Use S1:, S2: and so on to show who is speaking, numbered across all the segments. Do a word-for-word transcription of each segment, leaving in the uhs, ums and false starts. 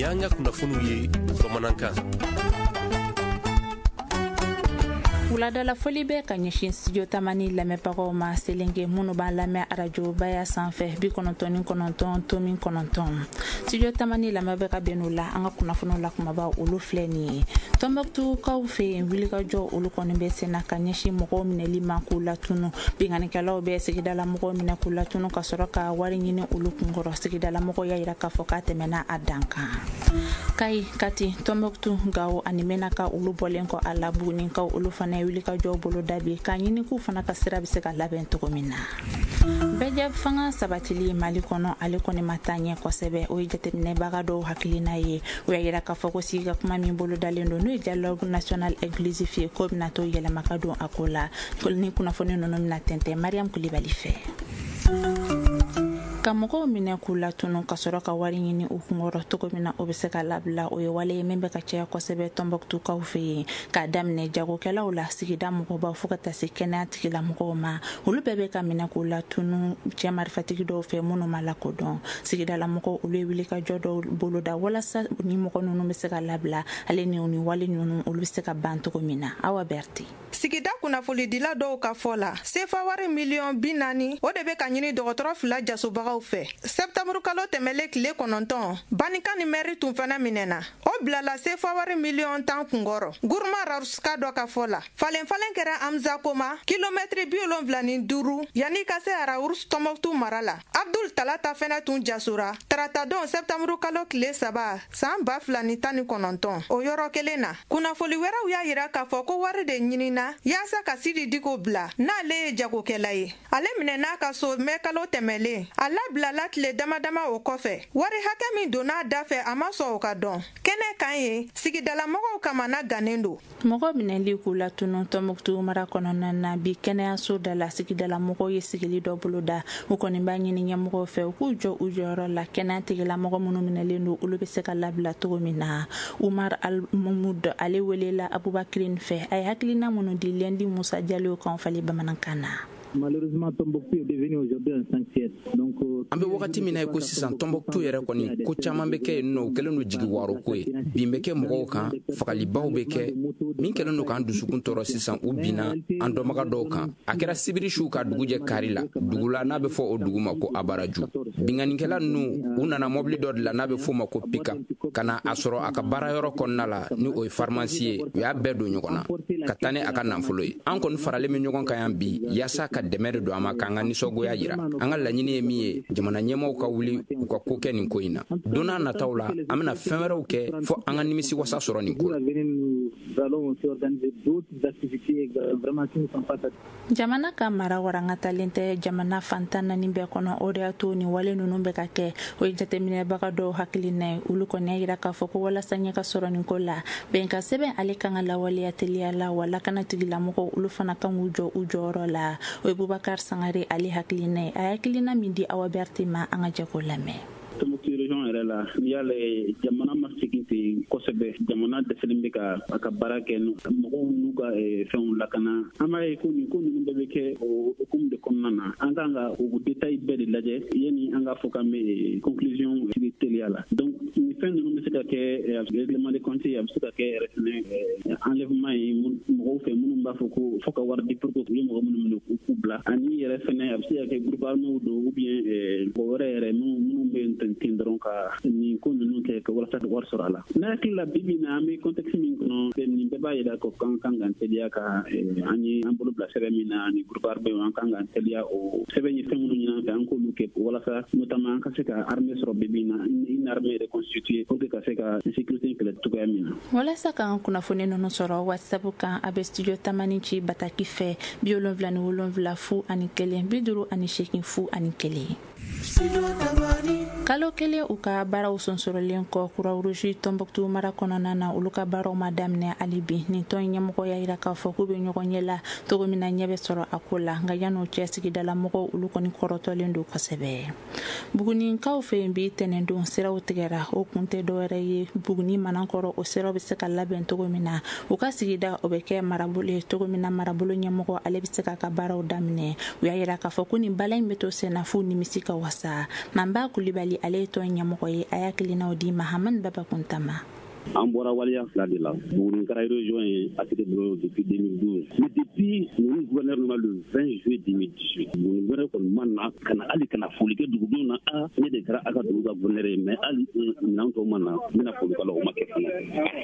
S1: Nin y'an ka kunnafoniw ye bamanankan.
S2: Wuladala foli bɛ ka ɲɛsin Studio Tamani lamɛnbagaw ma, selenke minnu b'a lamɛn arajo baya sanfɛ bi kɔnɔntɔn ni kɔnɔntɔn tomi kɔnɔntɔn. Studio Tamani lamɛn bɛ ka bɛn o la. An ka kunnafoniw la kumaba, olu filɛ nin ye. Tɔnbɔkutukaw fɛ yen, wulikajɔ olu kɔni bɛ senna ka ɲɛsin mɔgɔw minɛli ma k'u latunu. Binkannikɛlaw bɛ sigidala mɔgɔw minɛ k'u latunu ka sɔrɔ ka wari ɲini olu kunkɔrɔ. Sigidala mɔgɔw y'a yira k'a fɔ k'a tɛmɛna a dan kan. Kayi, Kati, Tɔnbɔkutu, Gawo ani Menaka, olu bɔlen kɔ a la, Bugunikaw olu fana ye wulikajɔw bolo da bi k'a ɲini k'u fana ka sira bɛ se ka labɛn cogo min na. Bɛɛjɛ fanga sabatili Mali kɔnɔ, ale kɔni ma taa ɲɛ kosɛbɛ. O ye jateminɛbaga dɔw hakilina ye. O y'a yira k'a fɔ ko sigi ka kuma min bolo dalen don, n'o ye dialogue national inclusif ye, k'o bɛna to yɛlɛma ka don a ko la. Ni kunnafoni ninnu bɛna tɛntɛn Mariam Kulibali fɛ. Ka mɔgɔw minɛ k'u latunu ka sɔrɔ ka wari ɲini u kunkɔrɔ cogo min na o bɛ se ka labila, o ye wale ye min bɛ ka caya kosɛbɛ Tɔnbɔkutukaw fɛ yen, k'a daminɛ jagokɛlaw la, sigida mɔgɔbaw, fo ka taa se kɛnɛya tigilamɔgɔw ma. Olu bɛɛ bɛ ka minɛ k'u latunu cɛ marifatigi dɔw fɛ minnu ma lakodɔn. Sigidala mɔgɔw olu ye wulikajɔ dɔw boloda walasa ni mɔgɔ ninnu bɛ se ka labila, ale ni ni wale ninnu olu bɛ se ka ban cogo min na. Awa Berete.
S3: Sigida kunnafonidila dɔw ka fɔ la, sefa wari miliyɔn bi naani, o de bɛ ka ɲini dɔgɔtɔrɔ fila jasobaga fɛ. Sɛptanburu kalo tɛmɛlen tile kɔnɔntɔn, Banikan ni mɛri tun fana minɛna, o bilala sefa wari miliyɔn tan kunkɔrɔ. Guruma Raruska dɔ ka fɔ la, falen falen kɛra Amza Koma, kilomɛtiri bi wolonfila ni duuru yanni ka se Arawurus Tɔnbɔkutu mara la. Abdul Talata fɛnɛ tun jasora taratadon sɛptanburu kalo tile saba san ba fila ni tan ni kɔnɔntɔn, o yɔrɔ kelen na. Kunnafoli wɛrɛw y'a yira k'a fɔ ko wari de ɲinina yaasa ka Sidi Diko bila, n'ale ye jagokɛla ye. Ale minɛ n'a ka so mɛ kalo tɛmɛlen, a labilala tile dama dama o kɔfɛ. Wari hakɛ min donna a da fɛ, a ma sɔn o ka dɔn kɛnɛ kan ye. Sigidalamɔgɔw kamana gannen don.
S2: Mɔgɔ minɛli k'u latunu Tɔnbɔkutu mara kɔnɔna na bi, kɛnɛyaso da la, sigidala mɔgɔw ye sigili dɔ boloda. U kɔni b'a ɲini ɲɛmɔgɔw fɛ u k'u jɔ u jɔyɔrɔ la, kɛnɛya tigilamɔgɔ minnu minɛlen don, olu bɛ se ka labila cogo min na. Umar Almamud, ale welela Abubakirin fɛ, a ye hakilina minnu di Lendi Musa Jalo kan fali bamanankan na.
S4: Malheureusement, Tombouctou est devenu aujourd'hui un sanctuaire. Donc,
S5: an bɛ wagati min na i ko sisan, Tɔnbɔkutu yɛrɛ kɔni, ko caman bɛ kɛ yen nɔ, o kɛlen don jigi waro ko ye. Bin bɛ kɛ mɔgɔw kan, fagalibaw bɛ kɛ. Min kɛlen don k'an dusukun tɔɔrɔ sisan, u binna an dɔnbaga dɔw kan. A kɛra sibiri su ka dugu jɛ kari la, dugu la n'a bɛ fɔ o dugu ma ko Abaraju. Binkannikɛla ninnu, u nana mɔbili dɔ de la n'a bɛ f'o ma ko pick-up, ka na a sɔrɔ a ka baarayɔrɔ kɔnɔna la, ni o ye pharmacie ye. U y'a bɛɛ don ɲɔgɔn na ka taa ni a ka nafolo ye. An kɔni faralen bɛ ɲɔgɔn kan yan bi yaasa ka dɛmɛ de don a ma, k'an ka nisɔngoya yira. An ka laɲini ye min ye, jamana ɲɛmaaw ka wuli u ka ko kɛ nin ko in na. Don n'a nataw la, an bɛna fɛn wɛrɛw kɛ fɔ an ka nimisi wasa sɔrɔ nin ko la.
S4: Nous allons aussi organiser d'autres activités vraiment qui ne sont pas
S2: Jamana ka mara warangatalen tɛ jamana fantan naani bɛɛ kɔnɔ, o de y'a to nin wale ninnu bɛ ka kɛ. O ye jateminɛbaga dɔw hakilina ye. Olu kɔni y'a yira k'a fɔ ko walasa ɲɛ ka sɔrɔ nin ko la, bɛnkan sɛbɛn ale kan ka lawaleya teliya la, wa lakana tigilamɔgɔw olu fana kan k'u jɔ u jɔyɔrɔ la. O ye Bubakar Sangare ale hakilina ye. A ye hakilina min di Awa Berete ma, an ka jɛ k'o lamɛn.
S6: Tombouctou région yɛrɛ la, n'i y'a lajɛ, jamana ma segin ten kosɛbɛ. Jamana dɛsɛlen bɛ ka a ka baara kɛ, mɔgɔw n'u ka fɛnw lakana. An b'a ye ko nin ko ninnu bɛɛ bɛ kɛ o hukumu de kɔnɔna na. An kan ka o détail bɛɛ de lajɛ yanni an k'a fɔ k'an bɛ conclusion tigi teliya la. Donc nin fɛn ninnu bɛ se ka kɛ règlement de compte, a bɛ se ka kɛ yɛrɛ fɛnɛ enlèvement ye mɔgɔw fɛ minnu b'a fɔ ko fo ka wari di pour que u ye mɔgɔ minnu minɛ k'u k'u bila. Ani yɛrɛ fɛnɛ, a bɛ se ka kɛ groupe armé don ou bien mɔgɔ wɛrɛ yɛrɛ minnu bɛ yen ten dɔrɔn ka nin ko ninnu kɛ ka walasa ka wari sɔrɔ a la. Ne hakili la, bi bi in na, an bɛ contexte min kɔnɔ, nin bɛɛ b'a yira ko kan kan k'an teliya ka an ye an bolo bila sɛbɛn min na ani groupe armé, an kan k'an teliya o sɛbɛn ye. Fɛn minnu ɲini an fɛ, an k'olu kɛ walasa notamment an ka se ka armée sɔrɔ bi bi in na, une armée reconstituée, pour que ka se ka insécurité kɛlɛ cogoya min na.
S2: Walasa k'an kunnafoni ninnu sɔrɔ WhatsApp kan, a bɛ Studio Tamani ci bataki fɛ bi wolonfila ni wolonfila fu ani kelen bi duuru ani seegin fu ani kelen. Kalo kelen u ka baaraw sonsorolen kɔ Croix-Rouge Tɔnbɔkutu mara kɔnɔna na, olu ka baaraw ma daminɛ hali bi. Nin tɔn ɲɛmɔgɔ y'a yira k'a fɔ k'u bɛ ɲɔgɔn ɲɛ la cogo min na, ɲɛ bɛ sɔrɔ a ko la. Nka yan'o cɛ, sigidala mɔgɔw olu kɔni kɔrɔtɔlen don kosɛbɛ. Bugunikaw fɛ yen bi, tɛnɛndon siraw tigɛra. O kun tɛ dɔwɛrɛ ye, Buguni Manankɔrɔ o siraw bɛ se ka labɛn cogo min na, u ka sigida o bɛ kɛ marabolo ye cogo min na, marabolo ɲɛmɔgɔ ale bɛ se k'a ka baaraw daminɛ. U y'a yira k'a fɔ ko nin bala in bɛ to senna f'u nimisi ka wasa. sa. Manba Kulibali, ale ye tɔn ɲɛmɔgɔ ye, a y'a hakilinaw di Mahamani Babakunta ma.
S7: An bɔra waleya fila de la. Buguni kɛra région ye A T T bolo depuis deux mille douze. Mais depuis ninnu gouverneur nana le vingt juillet deux mille dix-huit, Buguni gouverneur kɔni ma na ka na hali ka na foli kɛ dugudenw na. A ne de kɛra a ka dugu ka gouverneur ye, mais hali minɛn tɔw ma na, n bɛna foli k'a la, o ma kɛ fana.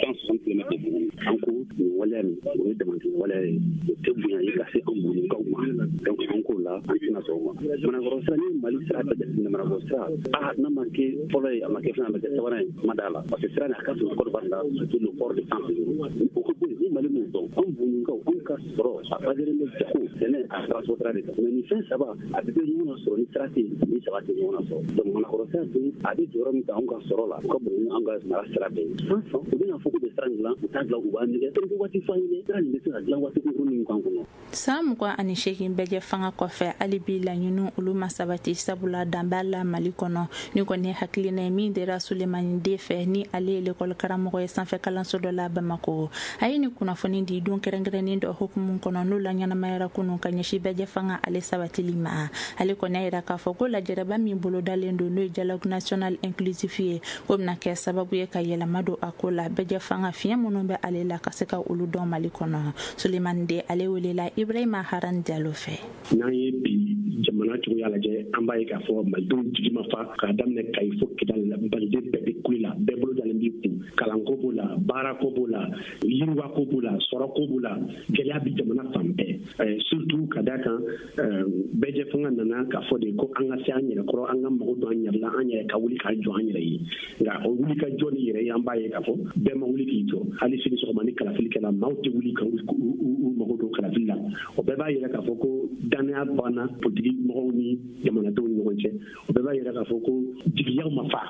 S7: cent soixante kilomètres de Buguni. An ko nin waleya nin, o ye damatɛmɛ waleya ye, o tɛ bonya ye ka se an Bugunikaw ma. Donc an k'o la, an tɛna sɔn o ma. Manakɔrɔ sira ni Mali sira bɛɛ jateminɛ, Manakɔrɔ sira, a n'a ma kɛ fɔlɔ ye, a ma kɛ filanan, a ma kɛ sabanan ye, ma d'a la. Parce que sira nin a ka surun Côte d'Ivoire la, surtout le port de San-Pedro. O ka bɔ yen, ni Mali m'o dɔn, anw Bugunikaw, anw ka sɔrɔ a baselen bɛ jago, sɛnɛ, a transport sira de kan. Mais nin fɛn saba a bɛɛ bɛ ɲɔgɔn na sɔrɔ ni sira tɛ yen, ni saba tɛ ɲɔgɔn na sɔrɔ. Donc Manakɔrɔ sira dun, a bɛ jɔyɔrɔ min ta anw ka sɔrɔ la, o ka bon ni anw ka mara sira bɛɛ ye. San san u bɛna fɔ k'u bɛ sira in dilan, u t'a dilan, u b'a nɛgɛ. O waati fɔ an ye, sira nin bɛ se ka dilan waati kunkurunnin min kan kɔnɔ.
S2: San mugan ani seegin bɛɛ fanga kɔfɛ, hali bi laɲiniw olu ma sabati, sabula dan b'a la Mali kɔnɔ. Ni kɔni ye hakilina ye min dira Sulemani Den fɛ, ni ale ye lekɔli karamɔgɔ ye sanfɛ kalanso dɔ la Bamako. A ye nin kunnafoni di don kɛrɛnkɛrɛnnen dɔ hukumu kɔnɔ, n'o la ɲɛnamayara kunun ka ɲɛsin bɛɛ fanga ale sabatili ma. Ale kɔni y'a yira k'a fɔ ko lajɛrɛba min bolodalen don, n'o ye dialogue national inclusif ye, o bɛna kɛ sababu ye ka yɛlɛma don a ko la, bɛɛ fanga fiɲɛ minnu bɛ ale la ka se ka olu dɔn Mali kɔnɔ. Sulemani Den, ale welela Ibrahima Haran Diallo fɛ.
S8: N'an ye bi jamana cogoya lajɛ, an b'a ye k'a fɔ malidenw jigi ma fa, k'a daminɛ Kayi fo Kidali la, maliden bɛɛ bɛ kule la, bɛɛ bolo dalen b'i kun. Kalanko b'o la, baarako b'o la, yiriwako b'o la, sɔrɔko b'o la, gɛlɛya bi jamana fan bɛɛ. Surtout ka d'a kan, bɛɛjɛ fanga nana k'a fɔ de ko an ka se an yɛrɛ kɔrɔ, an ka mago don an yɛrɛ la, an yɛrɛ ka wuli k'an jɔ an yɛrɛ ye. Nka o wuli ka jɔ ni yɛrɛ ye, an b'a ye k'a fɔ bɛɛ ma wuli k'i jɔ. Hali sini sɔgɔma ni kalafili kɛla, maaw tɛ wuli ka u mago don kalafili la. O bɛɛ b'a yira k'a fɔ ko danaya banna politiki mɔgɔw ni jamanadenw ni ɲɔgɔn cɛ. O bɛɛ b'a yira k'a fɔ ko jigiyaw ma fa.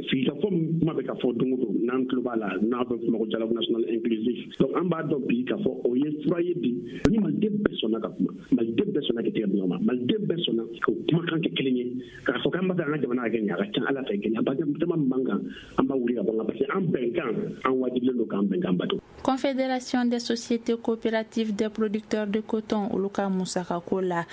S8: Sigikafɔ min kuma bɛ ka fɔ don o don, n'an tulo b'a la, n'a bɛ fɔ ma ko dialogue national inclusif. Donc an b'a dɔn bi k'a fɔ o ye fura ye bi ni maliden bɛɛ sɔnna ka kuma, maliden bɛɛ sɔnna k'i tɛgɛ di ɲɔgɔn ma, maliden bɛɛ sɔnna k'o kumakan kɛ kelen ye, k'a fɔ k'an b'a fɛ an ka jamana ka kɛ nin ye. A ka ca Ala fɛ, gɛlɛyaba caman min b'an kan, an b'a wuli ka bɔ an kan, parce que an bɛnkan, an wajibilen don k'an bɛnkan bato.
S2: Confédération des sociétés coopératives des producteurs de coton, olu ka musakako la,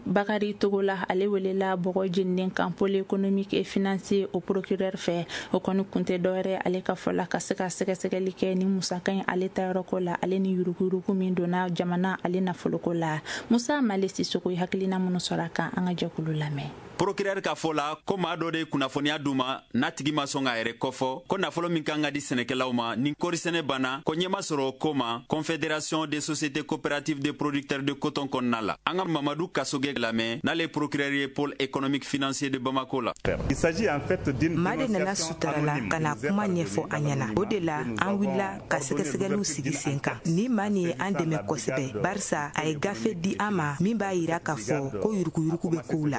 S2: Bakari Togola, ale welela bɔgɔ jeninen kan pôle économique et financier o procureur fɛ. O kɔni kun tɛ dɔwɛrɛ, ale ka fɔ la, ka se ka sɛgɛsɛgɛli kɛ ni musaka in ale tayɔrɔko la, ale ni yuruguyurugu min donna jamana ale nafoloko la. Musa Male Sisoko ye hakilina minnu sɔrɔ a kan, an ka jɛkulu lamɛn.
S9: Procureur ka fɔ la ko maa dɔ de ye kunnafoniya d'u ma, n'a tigi ma sɔn k'a yɛrɛ kɔfɔ, ko nafolo min kan ka di sɛnɛkɛlaw ma ni kɔrisɛnɛ banna, ko ɲɛma sɔrɔ o ko ma Confédération des sociétés coopératives des producteurs de coton kɔnɔna la. An ka Mamadu Kasoge lamɛn, n'ale procureur ye pôle économique financier de Bamako la.
S10: Il s'agit en fait d'une
S11: maa de nana sutara la ka na kuma ɲɛfɔ an ɲɛna. O de la an wulila ka sɛgɛsɛgɛliw sigi sen kan. Ni maa nin ye an dɛmɛ kosɛbɛ, barisa a ye gafe di an ma min b'a yira k'a fɔ ko yuruguyurugu bɛ kow la.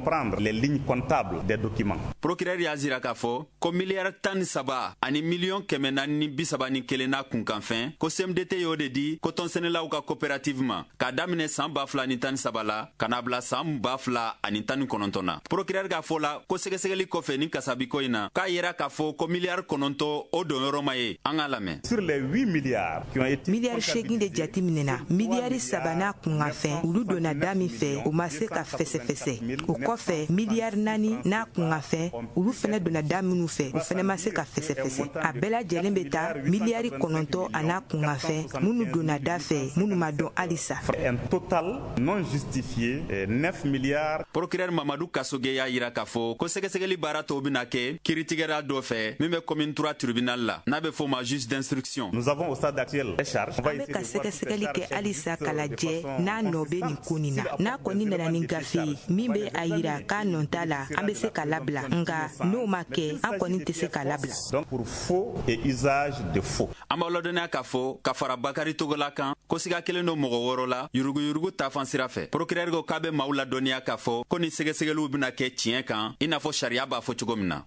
S10: Comprendre les lignes comptables des documents.
S9: Procureur y'a jira k'a fɔ ko miliyari tan ni saba ani miliyɔn kɛmɛ naani ni bi saba ni kelen n'a kunkanfɛn, ko C M D T y'o de di kotɔnsɛnɛlaw ka coopérative ma k'a daminɛ san ba fila ni tan ni saba la ka n'a bila san ba fila ani tan ni kɔnɔntɔn na. Procureur k'a fɔ la ko sɛgɛsɛgɛli kɔfɛ ni kasabiko in na, k'a yira k'a fɔ ko miliyari kɔnɔntɔn o donyɔrɔ ma ye. An k'a lamɛn.
S10: Sur les huit milliards qui ont été
S11: miliyari seegin de jate minɛna, miliyari saba n'a kunkanfɛn olu donna da min fɛ, o ma se ka fɛsɛfɛsɛ. O kɔfɛ miliyari naani n'a kunkanfɛn olu fɛnɛ donna da minnu fɛ, o fɛnɛ ma se ka fɛsɛfɛsɛ. A bɛɛ lajɛlen bɛ taa miliyari kɔnɔntɔn a n'a kunkanfɛn minnu donna da fɛ, minnu ma dɔn halisa.
S10: Un total non justifié neuf milliards.
S9: Procureur Mamadu Kasoge y'a yira k'a fɔ ko sɛgɛsɛgɛli baara tɔw bɛna kɛ kiiritigɛla dɔ fɛ min bɛ commune trois tribunal la, n'a bɛ f'o ma juge d'instruction.
S10: Nous avons au stade actuel les charges.
S11: An bɛ ka sɛgɛsɛgɛli kɛ halisa k'a lajɛ n'a nɔ bɛ nin ko nin na. N'a kɔni nana ni gafe ye min bɛ a yira k'a nɔ t'a la, an bɛ se k'a labila. Nka n'o ma kɛ, an kɔni tɛ se k'a labila.
S10: Donc pour faux et usage de faux.
S9: An b'aw ladɔnniya k'a fɔ ka fara Bakari Togola kan ko siga kelen don mɔgɔ wɔɔrɔ la yuruguyurugu taafan sira fɛ. Procureur ko k'a bɛ maaw ladɔnniya k'a fɔ ko ni sɛgɛsɛgɛliw bɛna kɛ tiɲɛ kan, i n'a fɔ sariya b'a fɔ cogo min na.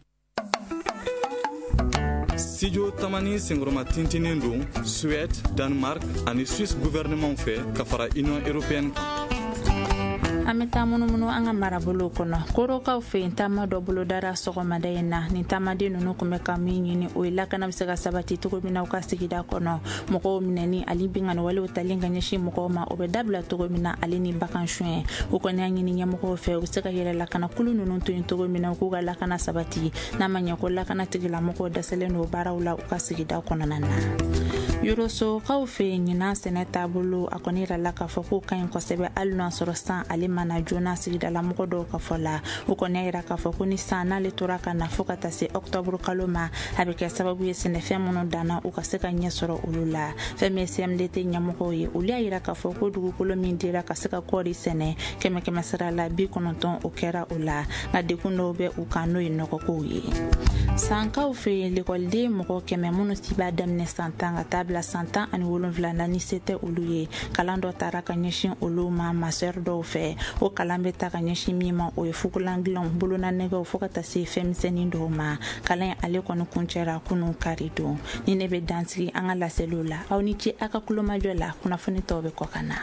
S12: Studio Tamani senkɔrɔma tintinen don Suède, Danemark ani Suisse gouvernement fɛ ka fara Union européenne kan.
S2: An bɛ taa munumunu an ka marabolow kɔnɔ. Korokaw fɛ yen, taama dɔ bolodara sɔgɔmada in na. Nin taamaden ninnu tun bɛ ka min ɲini, o ye lakana bɛ se ka sabati cogo min na u ka sigida kɔnɔ, mɔgɔw minɛni ani binkanni walew talen ka ɲɛsin mɔgɔw ma, o bɛ dabila cogo min na, ale ni bagan suɲɛ. U kɔni y'a ɲini ɲɛmɔgɔw fɛ, u bɛ se ka yɛrɛ lakana kulu ninnu to yen cogo min na, u k'u ka lakana sabati, n'a ma ɲɛ ko lakana tigilamɔgɔw dɛsɛlen don baaraw la u ka sigida kɔnɔna na. Yorosokaw fɛ yen, ɲinan sɛnɛ taabolo, a kɔni yirala k'a fɔ k'o ka ɲi kosɛbɛ, hali n'a sɔrɔ san ale mana joona. Sigidalamɔgɔ dɔw ka fɔ la, u kɔni y'a yira k'a fɔ ko ni san n'ale tora ka na fo ka taa se ɔkutɔburu kalo ma, a bɛ kɛ sababu ye sɛnɛfɛn minnu danna, u ka se ka ɲɛ sɔrɔ olu la. Fɛn min ye C M D T ɲɛmɔgɔw ye, olu y'a yira k'a fɔ ko dugukolo min dira ka se ka kɔɔri sɛnɛ, kɛmɛ kɛmɛ sara la bi kɔnɔntɔn o kɛra o la, nka dekun dɔw bɛ u kan, n'o ye nɔgɔkow ye. Sankaw fɛ yen, lekɔliden mɔgɔ kɛmɛ minnu si b'a daminɛ san tan ka taa bila san tan ani wolonwula na, ni se tɛ olu ye, kalan dɔ taara ka ɲɛsin olu ma masseur dɔw fɛ. O kalan bɛ ta ka ɲɛsin min ma, o ye fugulan dilanw, bolonanɛgɛw, fo ka taa se fɛnmisɛnnin dɔw ma. Kalan in ale kɔni kuncɛra kunun kari don. Ni ne bɛ dansigi an ka laseliw la, aw ni ce aw ka kulomajɔ la. Kunnafoni tɔw bɛ kɔ ka na.